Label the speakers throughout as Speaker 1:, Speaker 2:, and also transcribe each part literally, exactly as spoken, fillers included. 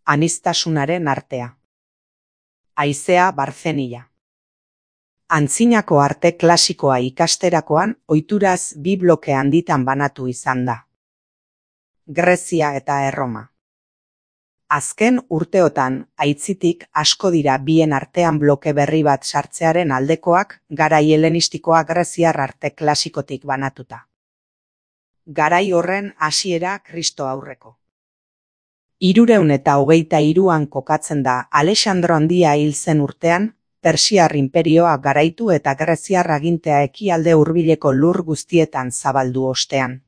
Speaker 1: Aniztasunaren artea. Haizea Barzenia. Antzinako arte klasikoa ikasterakoan ohituraz bi bloke handitan banatu izan da. Grezia eta Erroma. Azken urteotan aitzitik asko dira bien artean bloke berri bat sartzearen aldekoak, garai helenistikoa greziar arte klasikotik banatuta. Garai horren hasiera Kristo aurreko. Hirurehun eta hogeita hiruan kokatzen da Alexandro Handia hil zen urtean, Persiar inperioa garaitu eta greziar agintea ekialde hurbileko lur guztietan zabaldu ostean.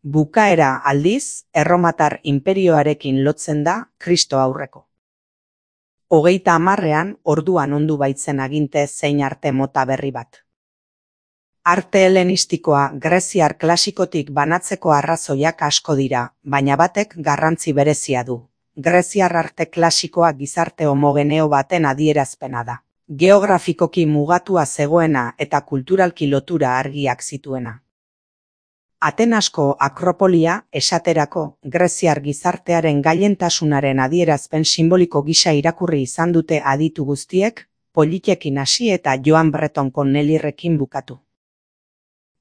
Speaker 1: Bukaera aldiz, Erromatar inperioarekin lotzen da Kristo aurreko. Hogeita hamarrean orduan ondu baitzen aginte zein arte mota berri bat. Arte helenistikoa greziar klasikotik banatzeko arrazoiak asko dira, baina batek garrantzi berezia du. Greziar arte klasikoa gizarte homogeneo baten adierazpena da. Geografikoki mugatua zegoena eta kulturalki lotura argiak zituena. Atenasko Akropolia, esaterako, greziar gizartearen gailentasunaren adierazpen simboliko gisa irakurri izan dute aditu guztiek, Politekin hasi eta Joan Breton Cornelirrekin bukatu.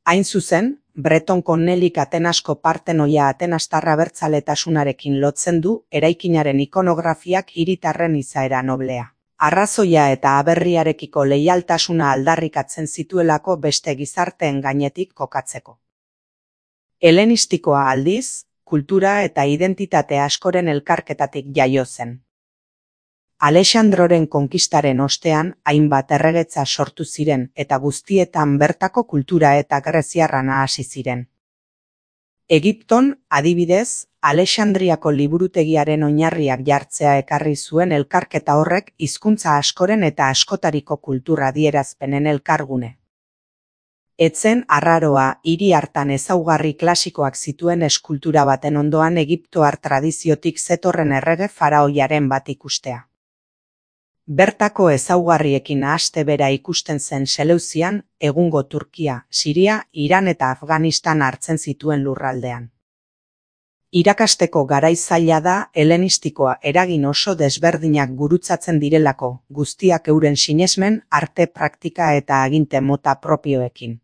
Speaker 1: Hain zuzen, Breton Cornelik Atenasko partenoia atenastar abertzaletasunarekin lotzen du eraikinaren ikonografiak hiritarren izaera noblea. Arrazoia eta aberriarekiko leialtasuna aldarrikatzen zituelako beste gizarteen gainetik kokatzeko. Helenistikoa aldiz, kultura eta identitate askoren elkarketatik jaio zen. Alexandroren konkistaren ostean hainbat erregetza sortu ziren eta guztietan bertako kultura eta greziarra nahasi ziren. Egipton, adibidez, Alexandriako liburutegiaren oinarriak jartzea ekarri zuen elkarketa horrek hizkuntza askoren eta askotariko kultura adierazpenen elkargune. Etzen arraroa hiri hartan ezaugarri klasikoak zituen eskultura baten ondoan egiptoar tradiziotik zetorren errege faraoiaren bat ikustea. Bertako ezaugarriekin aste bera ikusten zen Seleuzian, egungo Turkia, Siria, Iran eta Afganistan hartzen zituen lurraldean. Irakasteko garai zaila da helenistikoa eragin oso desberdinak gurutzatzen direlako, guztiak euren sinesmen, arte praktika eta aginte mota propioekin.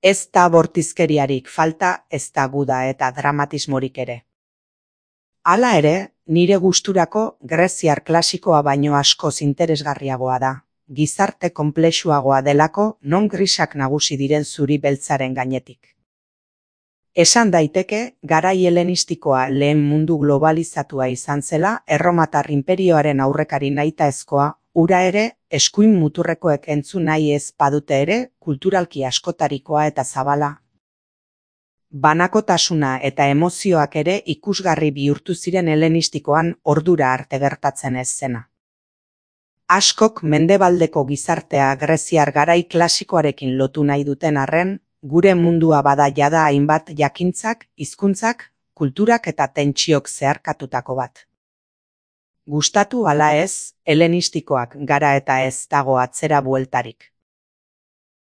Speaker 1: Ez da bortizkeriarik falta, ez da guda eta dramatismorik ere. Hala ere, nire gusturako greziar klasikoa baino askoz interesgarriagoa da, gizarte konplexuagoa delako non grisak nagusi diren zuri beltzaren gainetik. Esan daiteke, garai helenistikoa lehen mundu globalizatua izan zela, Erromatar inperioaren aurrekari nahitaezkoa, ura ere, eskuin muturrekoek entzun nahi ez badute ere, kulturalki askotarikoa eta zabala. Banakotasuna eta emozioak ere ikusgarri bihurtu ziren helenistikoan ordura arte gertatzen ez zena. Askok mendebaldeko gizartea greziar garai klasikoarekin lotu nahi duten arren, gure mundua bada jada hainbat jakintzak, hizkuntzak, kulturak eta tentsiok zeharkatutako bat. Gustatu ala ez, helenistikoak gara eta ez dago atzera bueltarik.